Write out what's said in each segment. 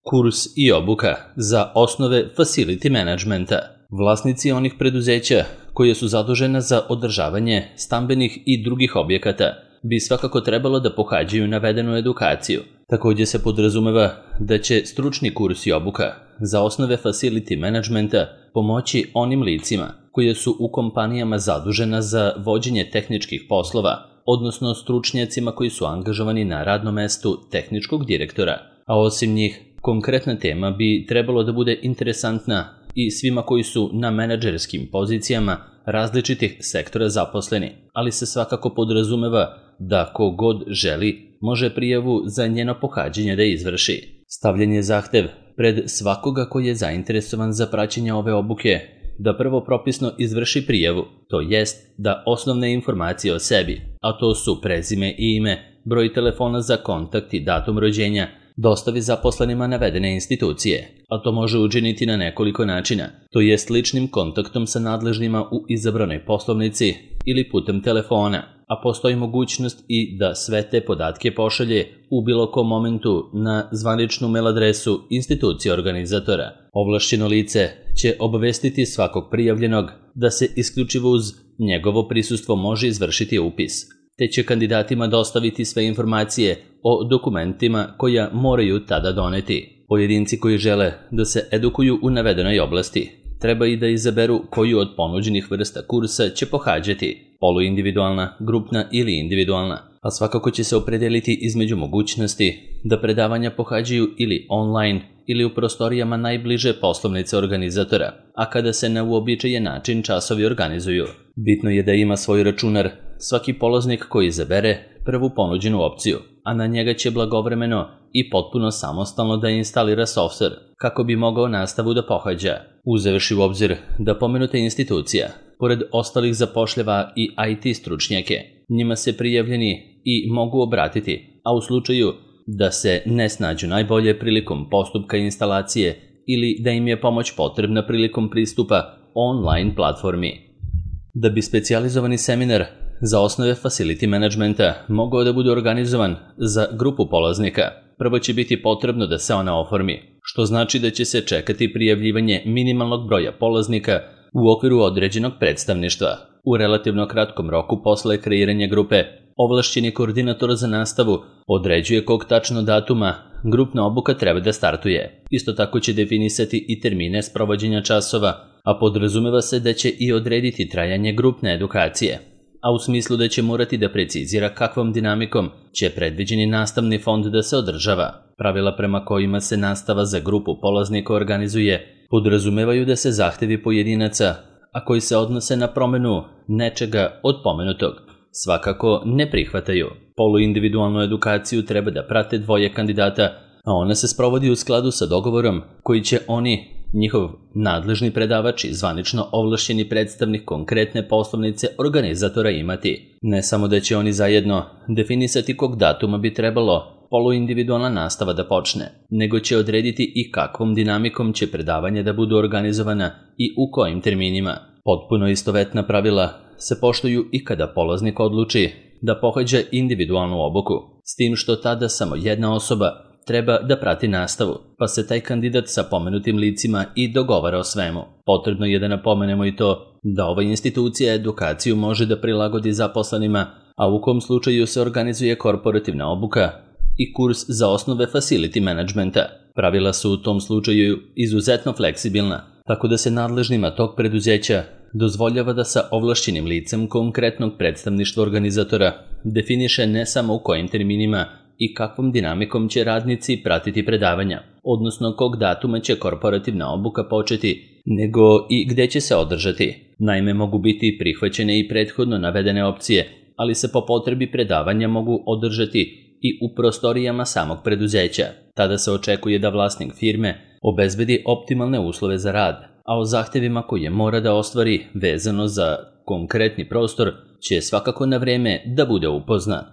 kurs i obuka za osnove facility managementa. Vlasnici onih preduzeća koje su zadužena za održavanje stambenih i drugih objekata bi svakako trebalo da pohađaju navedenu edukaciju. Također se podrazumeva da će stručni kurs i obuka za osnove facility managementa pomoći onim licima koje su u kompanijama zadužena za vođenje tehničkih poslova, odnosno stručnjacima koji su angažovani na radnom mestu tehničkog direktora. A osim njih, konkretna tema bi trebalo da bude interesantna i svima koji su na menadžerskim pozicijama različitih sektora zaposleni, ali se svakako podrazumeva da ko god želi može prijavu za njeno pohađanje da izvrši. Stavljen je zahtev pred svakoga koji je zainteresovan za praćenje ove obuke da prvo propisno izvrši prijavu, to jest da osnovne informacije o sebi, a to su prezime i ime, broj telefona za kontakt i datum rođenja, dostavi zaposlenima navedene institucije, a to može učiniti na nekoliko načina, to jest ličnim kontaktom sa nadležnima u izabranoj poslovnici ili putem telefona, a postoji mogućnost i da sve te podatke pošalje u bilo kom momentu na zvaničnu mail adresu institucije organizatora. Ovlašćeno lice će obavestiti svakog prijavljenog da se isključivo uz njegovo prisustvo može izvršiti upis, te će kandidatima dostaviti sve informacije o dokumentima koja moraju tada doneti. Pojedinci koji žele da se edukuju u navedenoj oblasti treba i da izaberu koju od ponuđenih vrsta kursa će pohađati, poluindividualna, grupna ili individualna, a svakako će se opredeliti između mogućnosti da predavanja pohađaju ili online ili u prostorijama najbliže poslovnice organizatora, a kada se na uobičajen način časovi organizuju. Bitno je da ima svoj računar svaki polaznik koji izabere prvu ponuđenu opciju, a na njega će blagovremeno i potpuno samostalno da instalira softver kako bi mogao nastavu da pohađa. Uzevši u obzir da pomenuta institucija, pored ostalih zapošljava i IT stručnjake, njima se prijavljeni i mogu obratiti, a u slučaju da se ne snađu najbolje prilikom postupka instalacije ili da im je pomoć potrebna prilikom pristupa online platformi. Da bi specijalizovani seminar za osnove facility managementa mogao da bude organizovan za grupu polaznika, prvo će biti potrebno da se ona oformi, što znači da će se čekati prijavljivanje minimalnog broja polaznika u okviru određenog predstavništva. U relativno kratkom roku posle kreiranja grupe, ovlašćeni koordinator za nastavu određuje kog tačno datuma grupna obuka treba da startuje. Isto tako će definisati i termine sprovođenja časova, a podrazumeva se da će i odrediti trajanje grupne edukacije, a u smislu da će morati da precizira kakvom dinamikom će predviđeni nastavni fond da se održava. Pravila prema kojima se nastava za grupu polaznika organizuje podrazumevaju da se zahtevi pojedinaca, a koji se odnose na promenu nečega od pomenutog, svakako ne prihvataju. Poluindividualnu edukaciju treba da prate dvoje kandidata, a ona se sprovodi u skladu sa dogovorom koji će oni, njihov nadležni predavač i zvanično ovlašćeni predstavnik konkretne poslovnice organizatora imati. Ne samo da će oni zajedno definisati kog datuma bi trebalo poluindividualna nastava da počne, nego će odrediti i kakvom dinamikom će predavanja da budu organizovana i u kojim terminima. Potpuno istovetna pravila se poštuju i kada polaznik odluči da pohađa individualnu obuku, s tim što tada samo jedna osoba treba da prati nastavu, pa se taj kandidat sa pomenutim licima i dogovara o svemu. Potrebno je da napomenemo i to da ova institucija edukaciju može da prilagodi zaposlenima, a u kom slučaju se organizuje korporativna obuka i kurs za osnove facility managementa. Pravila su u tom slučaju izuzetno fleksibilna, tako da se nadležnima tog preduzeća dozvoljava da sa ovlašćenim licem konkretnog predstavništva organizatora definiše ne samo u kojim terminima i kakvom dinamikom će radnici pratiti predavanja, odnosno kog datuma će korporativna obuka početi, nego i gde će se održati. Naime, mogu biti prihvaćene i prethodno navedene opcije, ali se po potrebi predavanja mogu održati i u prostorijama samog preduzeća. Tada se očekuje da vlasnik firme obezbedi optimalne uslove za rad, a o zahtevima koje mora da ostvari vezano za konkretni prostor će svakako na vreme da bude upoznat.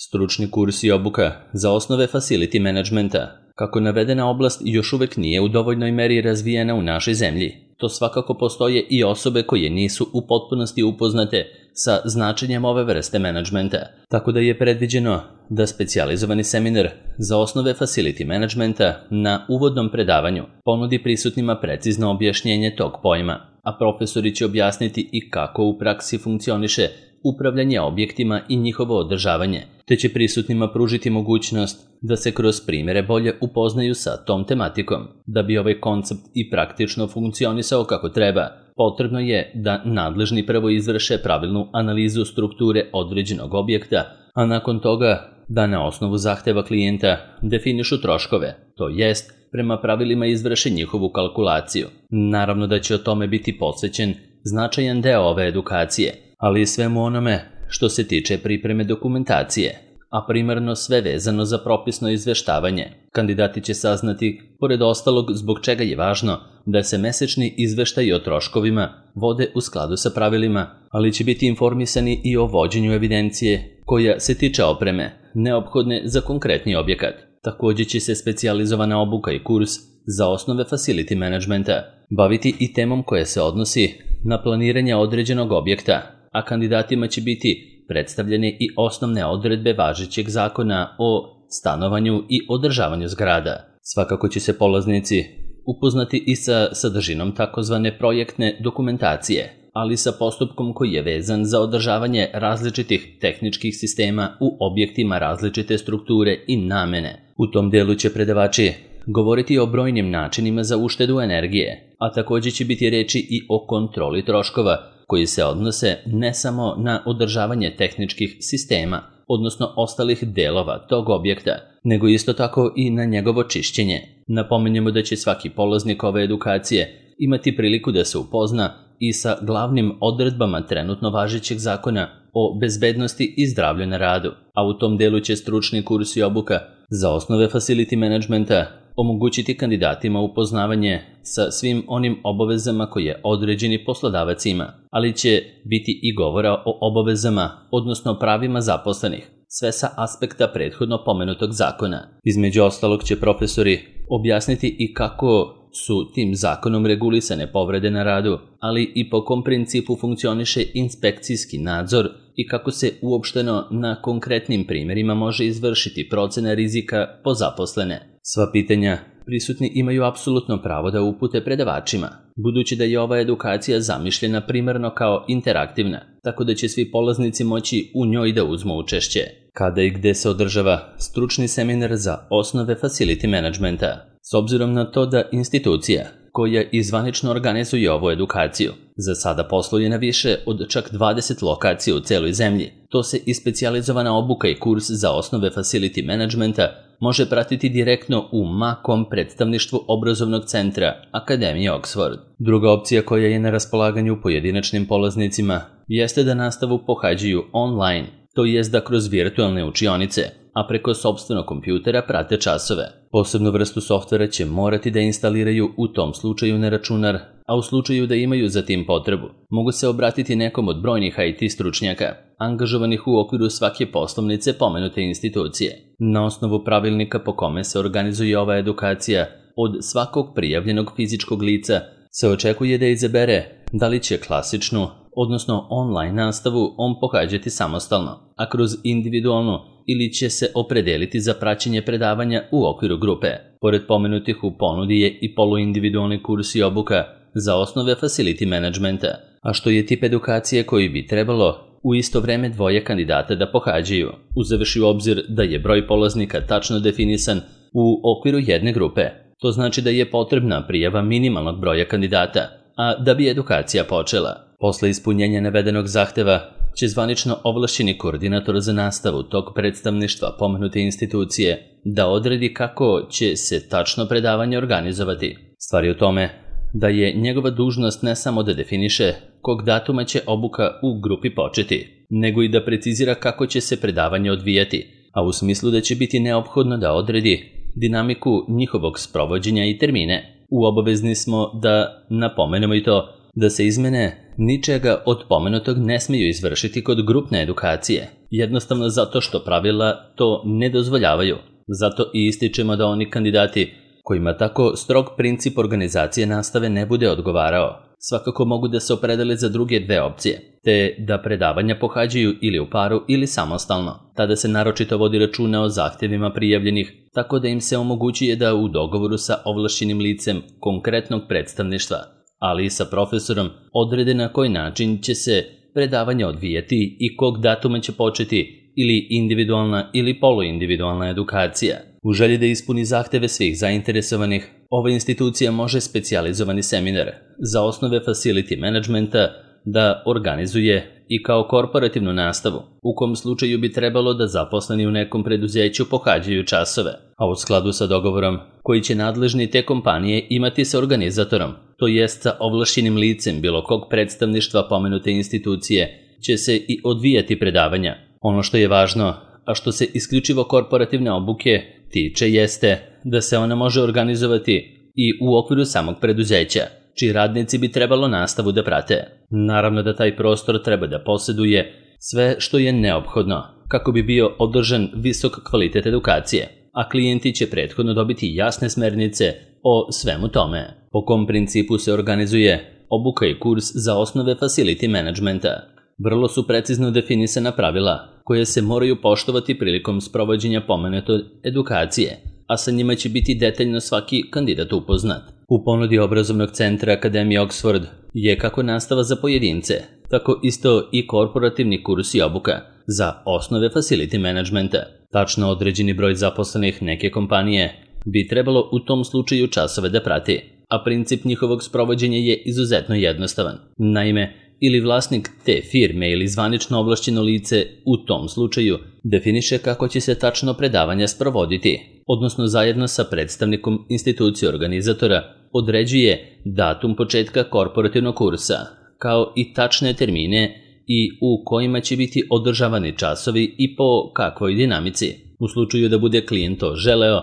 Stručni kurs i obuka za osnove facility managementa, kako navedena oblast još uvek nije u dovoljnoj meri razvijena u našoj zemlji. to svakako postoje i osobe koje nisu u potpunosti upoznate sa značenjem ove vrste menadžmenta, tako da je predviđeno da specijalizovani seminar za osnove facility managementa na uvodnom predavanju ponudi prisutnima precizno objašnjenje tog pojma, a profesori će objasniti i kako u praksi funkcioniše upravljanje objektima i njihovo održavanje, te će prisutnima pružiti mogućnost da se kroz primjere bolje upoznaju sa tom tematikom. Da bi ovaj koncept i praktično funkcionisao kako treba, potrebno je da nadležni prvo izvrše pravilnu analizu strukture određenog objekta, a nakon toga da na osnovu zahteva klijenta definišu troškove, to jest prema pravilima izvrše njihovu kalkulaciju. Naravno da će o tome biti posvećen značajan deo ove edukacije, ali i svemu onome što se tiče pripreme dokumentacije, a primarno sve vezano za propisno izveštavanje. Kandidati će saznati, pored ostalog, zbog čega je važno da se mesečni izveštaji o troškovima vode u skladu sa pravilima, ali će biti informisani i o vođenju evidencije koja se tiče opreme, neophodne za konkretni objekat. Također će se specijalizovana obuka i kurs za osnove facility managementa baviti i temom koja se odnosi na planiranje određenog objekta, a kandidatima će biti predstavljene i osnovne odredbe važećeg zakona o stanovanju i održavanju zgrada. Svakako će se polaznici upoznati i sa sadržinom takozvane projektne dokumentacije, ali sa postupkom koji je vezan za održavanje različitih tehničkih sistema u objektima različite strukture i namene. U tom delu će predavači govoriti o brojnim načinima za uštedu energije, a također će biti reči i o kontroli troškova koji se odnose ne samo na održavanje tehničkih sistema, odnosno ostalih delova tog objekta, nego isto tako i na njegovo čišćenje. Napominjemo da će svaki polaznik ove edukacije imati priliku da se upozna i sa glavnim odredbama trenutno važećeg zakona o bezbednosti i zdravlju na radu, a u tom delu će stručni kurs i obuka za osnove facility managementa omogućiti kandidatima upoznavanje sa svim onim obavezama koje određeni poslodavac ima, ali će biti i govora o obavezama, odnosno pravima zaposlenih, sve sa aspekta prethodno pomenutog zakona. Između ostalog će profesori objasniti i kako su tim zakonom regulisane povrede na radu, ali i po kom principu funkcioniše inspekcijski nadzor i kako se uopšteno na konkretnim primjerima može izvršiti procena rizika po zaposlene. Sva pitanja prisutni imaju apsolutno pravo da upute predavačima, budući da je ova edukacija zamišljena primarno kao interaktivna, tako da će svi polaznici moći u njoj da uzmu učešće. Kada i gde se održava stručni seminar za osnove facility managementa? S obzirom na to da institucija koja izvanično organizuje ovu edukaciju za sada posluje na više od čak 20 lokacija u celoj zemlji, to se i specijalizovana obuka i kurs za osnove facility managementa može pratiti direktno u MAKOM predstavništvu obrazovnog centra Akademije Oxford. Druga opcija koja je na raspolaganju pojedinačnim polaznicima jeste da nastavu pohađaju online, to jest da kroz virtualne učionice, a preko sopstvenog kompjutera prate časove. Posebnu vrstu softvera će morati da instaliraju u tom slučaju na računar, a u slučaju da imaju za tim potrebu, mogu se obratiti nekom od brojnih IT stručnjaka, angažovanih u okviru svake poslovnice pomenute institucije. Na osnovu pravilnika po kome se organizuje ova edukacija, od svakog prijavljenog fizičkog lica se očekuje da izabere da li će klasičnu, odnosno online nastavu on pohađati samostalno, a kroz individualnu ili će se opredeliti za praćenje predavanja u okviru grupe. Pored pomenutih u ponudi je i poluindividualni kurs i obuka za osnove facility managementa, a što je tip edukacije koji bi trebalo u isto vreme dvoje kandidata da pohađaju, uzevši u obzir da je broj polaznika tačno definisan u okviru jedne grupe. To znači da je potrebna prijava minimalnog broja kandidata, a da bi edukacija počela. Posle ispunjenja navedenog zahteva će zvanično ovlašćeni koordinator za nastavu tog predstavništva pomenute institucije da odredi kako će se tačno predavanje organizovati. Stvar je u tome da je njegova dužnost ne samo da definiše kog datuma će obuka u grupi početi, nego i da precizira kako će se predavanje odvijati, a u smislu da će biti neophodno da odredi dinamiku njihovog sprovođenja i termine. Obavezni smo da napomenemo i to da se izmene ničega od pomenutog ne smiju izvršiti kod grupne edukacije, jednostavno zato što pravila to ne dozvoljavaju. Zato i ističemo da oni kandidati kojima tako strog princip organizacije nastave ne bude odgovarao, svakako mogu da se opredele za druge dve opcije, te da predavanja pohađaju ili u paru ili samostalno. Tada se naročito vodi računa o zahtjevima prijavljenih, tako da im se omogućuje da u dogovoru sa ovlašćenim licem konkretnog predstavništva, ali i sa profesorom, odrede na koji način će se predavanja odvijati i kog datuma će početi ili individualna ili poluindividualna edukacija. U želji da ispuni zahteve svih zainteresovanih, ova institucija može specijalizovani seminar za osnove facility managementa da organizuje i kao korporativnu nastavu, u kom slučaju bi trebalo da zaposleni u nekom preduzeću pohađaju časove, a u skladu sa dogovorom koji će nadležni te kompanije imati sa organizatorom, to jest sa ovlašćenim licem bilo kog predstavništva pomenute institucije, će se i odvijati predavanja. Ono što je važno, a što se isključivo korporativne obuke tiče, jeste da se ona može organizovati i u okviru samog preduzeća, čiji radnici bi trebalo nastavu da prate. Naravno da taj prostor treba da posjeduje sve što je neophodno kako bi bio održan visok kvalitet edukacije, a klijenti će prethodno dobiti jasne smernice o svemu tome. Po kom principu se organizuje obuka i kurs za osnove facility managementa. Vrlo su precizno definisana pravila koje se moraju poštovati prilikom sprovođenja pomenute edukacije, a sa njima će biti detaljno svaki kandidat upoznat. U ponudi obrazovnog centra Akademije Oxford je kako nastava za pojedince, tako isto i korporativni kurs i obuka za osnove facility managementa. Tačno određeni broj zaposlenih neke kompanije bi trebalo u tom slučaju časove da prati, a princip njihovog sprovođenja je izuzetno jednostavan. Naime, ili vlasnik te firme ili zvanično ovlašćeno lice u tom slučaju definiše kako će se tačno predavanja sprovoditi, odnosno zajedno sa predstavnikom institucije organizatora određuje datum početka korporativnog kursa, kao i tačne termine i u kojima će biti održavani časovi i po kakvoj dinamici, u slučaju da bude klijent to želeo,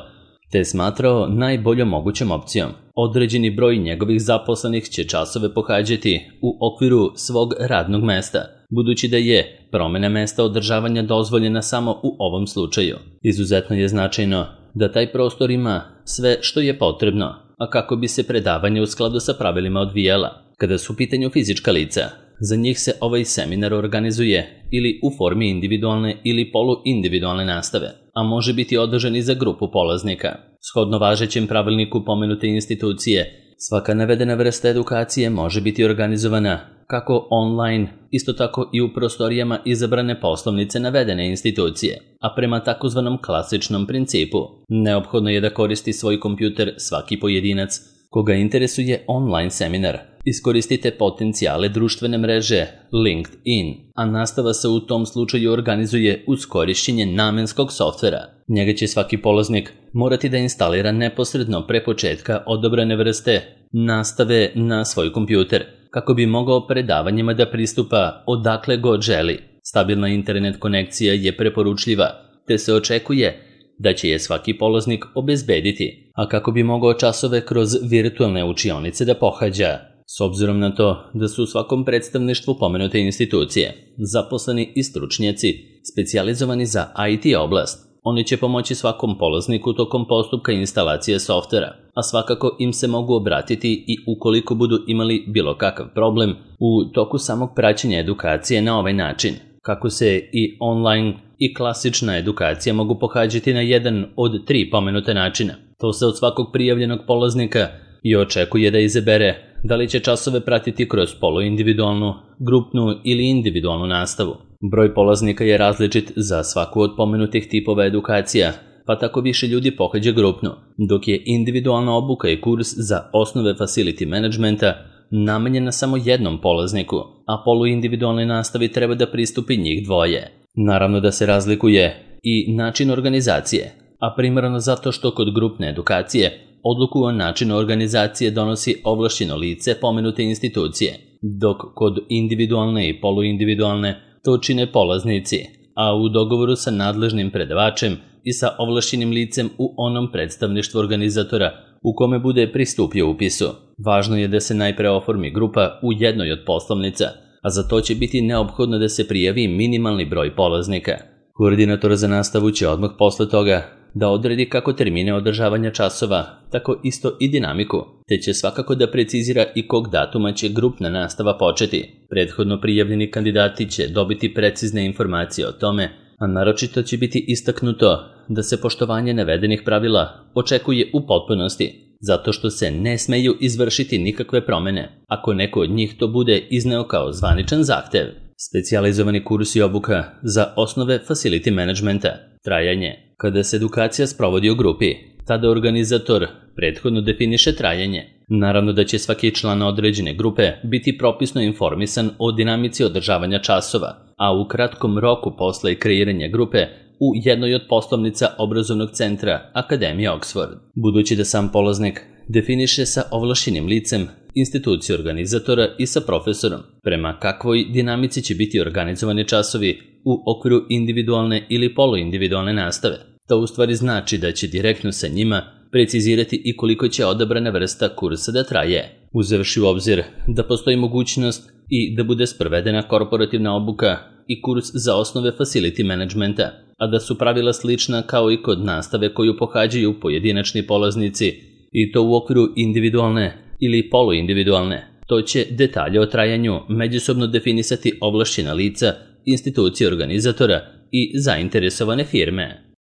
te smatrao najboljom mogućom opcijom. Određeni broj njegovih zaposlenih će časove pohađati u okviru svog radnog mesta, budući da je promjena mesta održavanja dozvoljena samo u ovom slučaju. Izuzetno je značajno da taj prostor ima sve što je potrebno, a kako bi se predavanje u skladu sa pravilima odvijala. Kada su u pitanju fizička lica, za njih se ovaj seminar organizuje ili u formi individualne ili poluindividualne nastave, a može biti održan i za grupu polaznika. Shodno važećem pravilniku pomenute institucije, svaka navedena vrsta edukacije može biti organizovana kako online, isto tako i u prostorijama izabrane poslovnice navedene institucije, a prema takozvanom klasičnom principu. Neophodno je da koristi svoj kompjuter svaki pojedinac koga interesuje online seminar. Iskoristite potencijale društvene mreže LinkedIn, a nastava se u tom slučaju organizuje uz korišćenje namenskog softvera. Njega će svaki polaznik morati da instalira neposredno pre početka odabrane vrste nastave na svoj kompjuter, kako bi mogao predavanjima da pristupa odakle god želi. Stabilna internet konekcija je preporučljiva, te se očekuje da će je svaki polaznik obezbediti, a kako bi mogao časove kroz virtualne učionice da pohađa. S obzirom na to da su u svakom predstavništvu pomenute institucije zaposleni i stručnjaci specijalizovani za IT oblast, oni će pomoći svakom polazniku tokom postupka instalacije softvera, a svakako im se mogu obratiti i ukoliko budu imali bilo kakav problem u toku samog praćenja edukacije na ovaj način. Kako se i online i klasična edukacija mogu pohađati na jedan od 3 pomenute načina. To se od svakog prijavljenog polaznika i očekuje da izabere da li će časove pratiti kroz poluindividualnu, grupnu ili individualnu nastavu. Broj polaznika je različit za svaku od pomenutih tipova edukacija, pa tako više ljudi pohađa grupnu, dok je individualna obuka i kurs za osnove facility managementa namenjena samo jednom polazniku, a poluindividualnoj nastavi treba da pristupi njih dvoje. Naravno da se razlikuje i način organizacije, a primarno zato što kod grupne edukacije odluku o načinu organizacije donosi ovlašćeno lice pomenute institucije, dok kod individualne i poluindividualne to čine polaznici, a u dogovoru sa nadležnim predavačem i sa ovlašćenim licem u onom predstavništvu organizatora u kome bude pristupio upisu. Važno je da se najpre oformi grupa u jednoj od poslovnica, a za to će biti neophodno da se prijavi minimalni broj polaznika. Koordinator za nastavu će odmah posle toga da odredi kako termine održavanja časova, tako isto i dinamiku, te će svakako da precizira i kog datuma će grupna nastava početi. Prethodno prijavljeni kandidati će dobiti precizne informacije o tome, a naročito će biti istaknuto da se poštovanje navedenih pravila očekuje u potpunosti, zato što se ne smeju izvršiti nikakve promene, ako neko od njih to bude izneo kao zvaničan zahtev. Specijalizovani kurs i obuka za osnove facility managementa. Trajanje. Kada se edukacija sprovodi u grupi, tada organizator prethodno definiše trajanje. Naravno da će svaki član određene grupe biti propisno informisan o dinamici održavanja časova, a u kratkom roku posle kreiranja grupe u jednoj od poslovnica obrazovnog centra Akademije Oxford. Budući da sam polaznik definiše sa ovlašćenim licem, instituciju organizatora i sa profesorom prema kakvoj dinamici će biti organizovani časovi u okviru individualne ili poluindividualne nastave. To u stvari znači da će direktno sa njima precizirati i koliko će odabrana vrsta kursa da traje, uzevši u obzir da postoji mogućnost i da bude sprovedena korporativna obuka i kurs za osnove facility managementa, a da su pravila slična kao i kod nastave koju pohađaju pojedinačni polaznici i to u okviru individualne ili poluindividualne. To će detalje o trajanju međusobno definisati ovlašćena lica, institucije organizatora i zainteresovane firme.